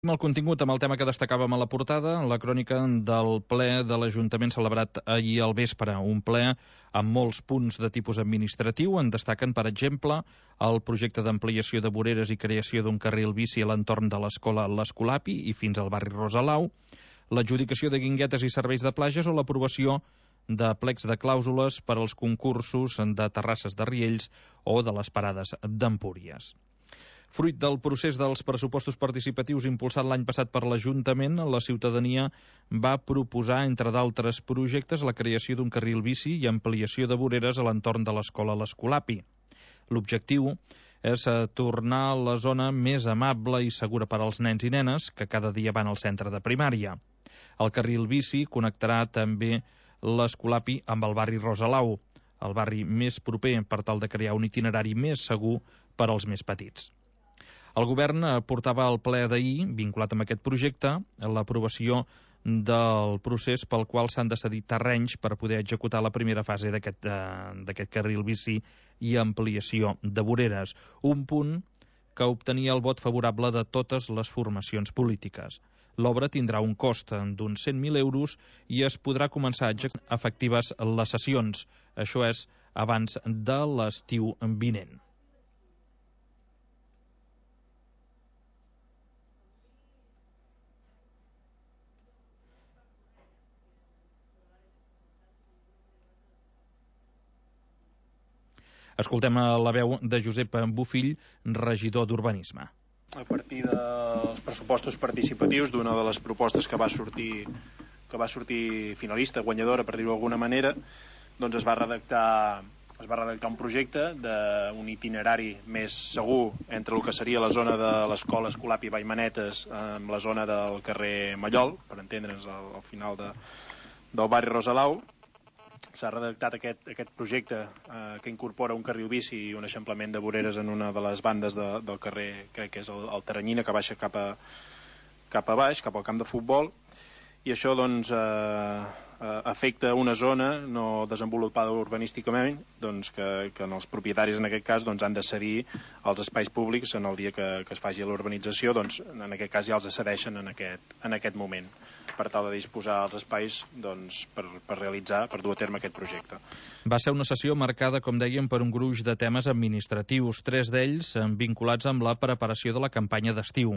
El contingut amb el tema que destacàvem a la portada, la crònica del ple de l'Ajuntament celebrat ahir al vespre, un ple amb molts punts de tipus administratiu. En destaquen, per exemple, el projecte d'ampliació de voreres i creació d'un carril bici a l'entorn de l'escola l'Escolapi i fins al barri Rosalau, l'adjudicació de guinguetes i serveis de platges o l'aprovació de plecs de clàusules per als concursos de terrasses de Riells o de les parades d'Empúries. Fruit del procés dels pressupostos participatius impulsat l'any passat per l'Ajuntament, la ciutadania va proposar, entre d'altres projectes, la creació d'un carril bici i ampliació de voreres a l'entorn de l'escola l'Escolapi. L'objectiu és tornar la zona més amable i segura per als nens i nenes que cada dia van al centre de primària. El carril bici connectarà també l'Escolapi amb el barri Rosalau, el barri més proper, per tal de crear un itinerari més segur per als més petits. El govern portava al ple d'ahir, vinculat amb aquest projecte, l'aprovació del procés pel qual s'han de cedir terrenys per poder executar la primera fase d'aquest carril bici i ampliació de voreres. Un punt que obtenia el vot favorable de totes les formacions polítiques. L'obra tindrà un cost d'uns 100.000 euros i es podrà començar a executar efectives les sessions. Això és abans de l'estiu vinent. Escoltem la veu de Josep Bofill, regidor d'Urbanisme. A partir dels pressupostos participatius, d'una de les propostes que va sortir finalista, guanyadora, per dir-ho d'alguna manera, doncs es va redactar un projecte d'un itinerari més segur entre el que seria la zona de l'escola Escolapi Vallmanetes amb la zona del carrer Mallol, per entendre'ns, al final del barri Rosalau. S'ha redactat aquest projecte que incorpora un carril bici i un eixamplament de voreres en una de les bandes del carrer, crec que és el Teranyina, que baixa cap a baix, cap al camp de futbol, i això doncs afecta una zona no desenvolupada urbanísticament, doncs que els propietaris en aquest cas doncs han de cedir els espais públics en el dia que es faci l'urbanització, doncs en aquest cas ja els cedeixen en aquest moment, per tal de disposar els espais doncs, per dur a terme aquest projecte. Va ser una sessió marcada, com dèiem, per un gruix de temes administratius, 3 d'ells vinculats amb la preparació de la campanya d'estiu.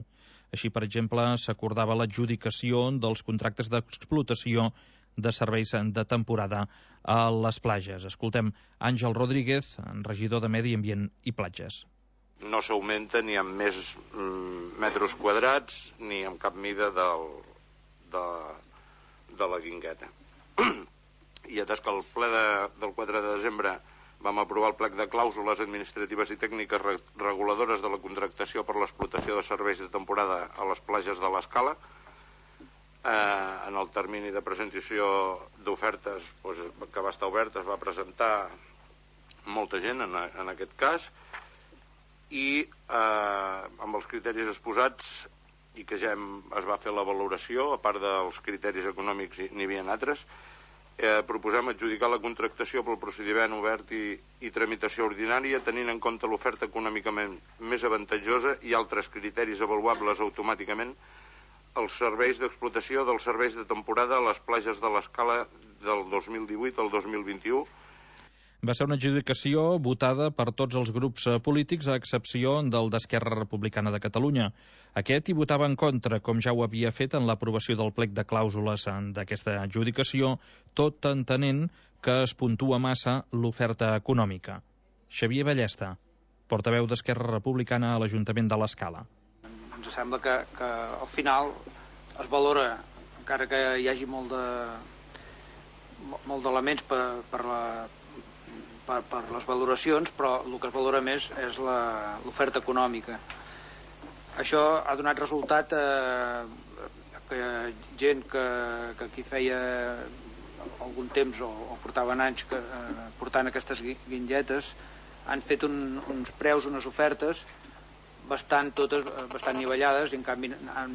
Així, per exemple, s'acordava l'adjudicació dels contractes d'explotació de serveis de temporada a les platges. Escoltem Àngel Rodríguez, regidor de Medi Ambient i Platges. No s'augmenta ni amb més metres quadrats ni amb cap mida de la guingueta. I atès que el ple del 4 de desembre vam aprovar el plec de clàusules administratives i tècniques reguladores de la contractació per l'explotació de serveis de temporada a les platges de l'Escala, en el termini de presentació d'ofertes que va estar obert, es va presentar molta gent en aquest cas, i amb els criteris exposats i que ja es va fer la valoració, a part dels criteris econòmics n'hi havia altres, proposem adjudicar la contractació pel procediment obert i tramitació ordinària, tenint en compte l'oferta econòmicament més avantatjosa i altres criteris avaluables automàticament, els serveis d'explotació dels serveis de temporada a les platges de l'Escala del 2018 al 2021. Va ser una adjudicació votada per tots els grups polítics, a excepció del d'Esquerra Republicana de Catalunya. Aquest hi votava en contra, com ja ho havia fet en l'aprovació del plec de clàusules d'aquesta adjudicació, tot entenent que es puntua massa l'oferta econòmica. Xavier Ballesta, portaveu d'Esquerra Republicana a l'Ajuntament de l'Escala. Ens sembla que al final es valora, encara que hi hagi molt d'elements per les valoracions, però el que es valora més és l'oferta econòmica. Això ha donat resultat que gent que aquí feia algun temps o portaven anys portant aquestes guinguetes han fet uns preus, unes ofertes bastant nivellades, i en canvi han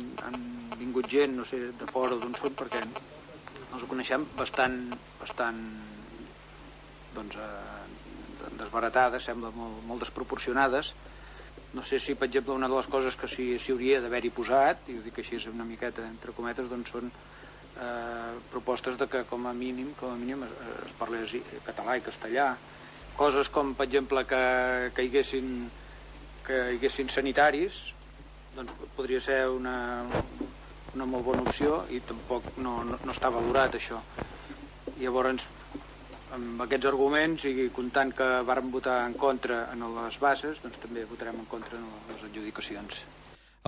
vingut gent, no sé, de fora o d'on són, perquè no els coneixem, bastant doncs desbaratades, sembla molt desproporcionades, No sé si, per exemple, una de les coses que s'hi hauria d'haver-hi posat, i ho dic així una miqueta entre cometes, doncs són propostes de que com a mínim es parlés català i castellà. Coses com, per exemple, que hi haguessin sanitaris, doncs podria ser una molt bona opció, i tampoc no està valorat això. Llavors, amb aquests arguments i comptant que vàrem votar en contra en les bases, doncs també votarem en contra en les adjudicacions.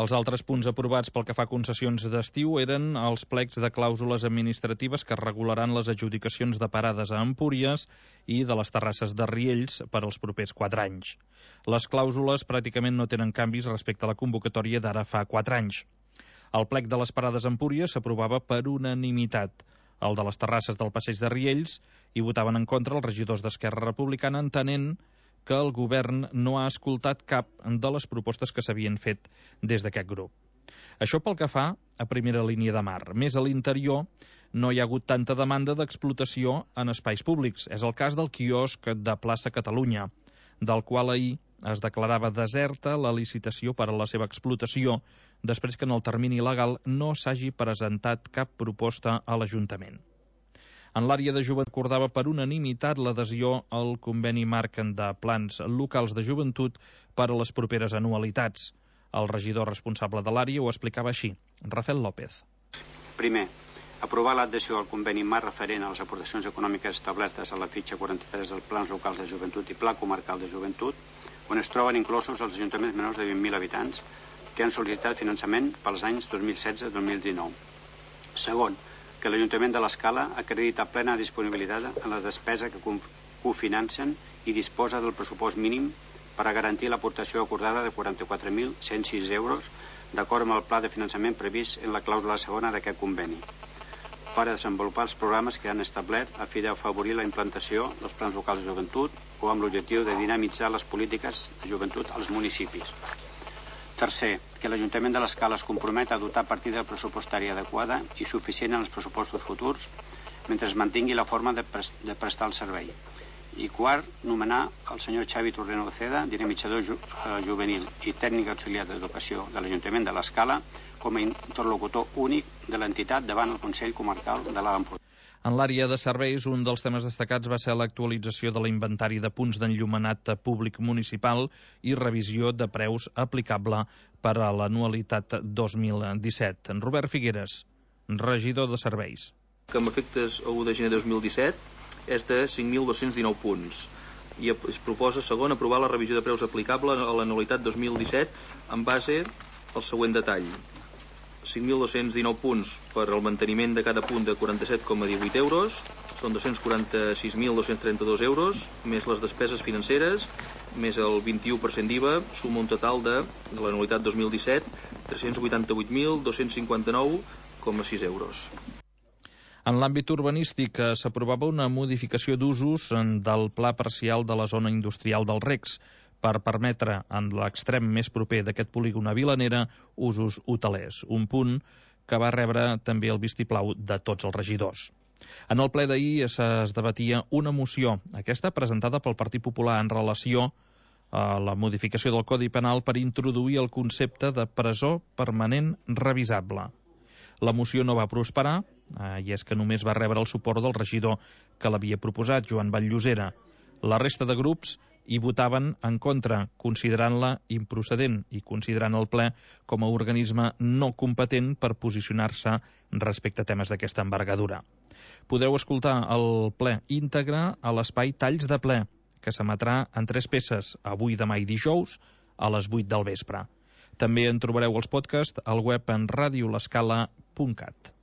Els altres punts aprovats pel que fa a concessions d'estiu eren els plecs de clàusules administratives que regularan les adjudicacions de parades a Empúries i de les terrasses de Riells per als propers 4 anys. Les clàusules pràcticament no tenen canvis respecte a la convocatòria d'ara fa 4 anys. El plec de les parades a Empúries s'aprovava per unanimitat. El de les terrasses del passeig de Riells hi votaven en contra els regidors d'Esquerra Republicana, entenent que el govern no ha escoltat cap de les propostes que s'havien fet des d'aquest grup. Això pel que fa a primera línia de mar. Més a l'interior no hi ha hagut tanta demanda d'explotació en espais públics. És el cas del quiosc de Plaça Catalunya, del qual ahir es declarava deserta la licitació per a la seva explotació, després que en el termini legal no s'hagi presentat cap proposta a l'Ajuntament. En l'àrea de joventut acordava per unanimitat l'adhesió al conveni marc de plans locals de joventut per a les properes anualitats. El regidor responsable de l'àrea ho explicava així, Rafael López. Primer, aprovar l'adhesió al conveni marc referent a les aportacions econòmiques establertes a la fitxa 43 dels plans locals de joventut i pla comarcal de joventut, on es troben inclosos els ajuntaments menors de 20.000 habitants que han sol·licitat finançament pels anys 2016-2019. Segon, que l'Ajuntament de l'Escala acredita plena disponibilitat en la despesa que cofinancen i disposa del pressupost mínim per a garantir l'aportació acordada de 44.106 euros d'acord amb el pla de finançament previst en la clàusula segona d'aquest conveni per a desenvolupar els programes que han establert a fi d'afavorir la implantació dels plans locals de joventut o amb l'objectiu de dinamitzar les polítiques de joventut als municipis. Tercer, que l'Ajuntament de l'Escala es compromet a dotar partida pressupostària adequada i suficient en els pressupostos futurs mentre es mantingui la forma de prestar el servei. I quart, nomenar el senyor Xavi Torreno Ceda, dinamitzador juvenil i tècnic auxiliar d'educació de l'Ajuntament de l'Escala, com a interlocutor únic de l'entitat davant el Consell Comarcal de l'Alt Empordà. En l'àrea de serveis, un dels temes destacats va ser l'actualització de l'inventari de punts d'enllumenat públic municipal i revisió de preus aplicable per a l'anualitat 2017. En Robert Figueres, regidor de serveis. Que amb efectes a 1 de gener de 2017 és de 5.219 punts i es proposa, segon, aprovar la revisió de preus aplicable a l'anualitat 2017 en base al següent detall. 5.219 punts per al manteniment de cada punt de 47,18 euros, són 246.232 euros, més les despeses financeres, més el 21% d'IVA, suma un total de l'anualitat 2017, 388.259,6 euros. En l'àmbit urbanístic s'aprovava una modificació d'usos del pla parcial de la zona industrial del Recs per permetre en l'extrem més proper d'aquest polígon a Vilanera usos hotelers, un punt que va rebre també el vistiplau de tots els regidors. En el ple d'ahir es debatia una moció, aquesta presentada pel Partit Popular en relació a la modificació del Codi Penal per introduir el concepte de presó permanent revisable. La moció no va prosperar, i és que només va rebre el suport del regidor que l'havia proposat, Joan Vall-Llosera. La resta de grups hi votaven en contra, considerant-la improcedent i considerant el ple com a organisme no competent per posicionar-se respecte a temes d'aquesta envergadura. Podeu escoltar el ple íntegre a l'espai Talls de Ple, que s'emetrà en 3 peces, avui, demà i dijous, a les 8 del vespre. També en trobareu els podcasts al web en radiolescala.cat.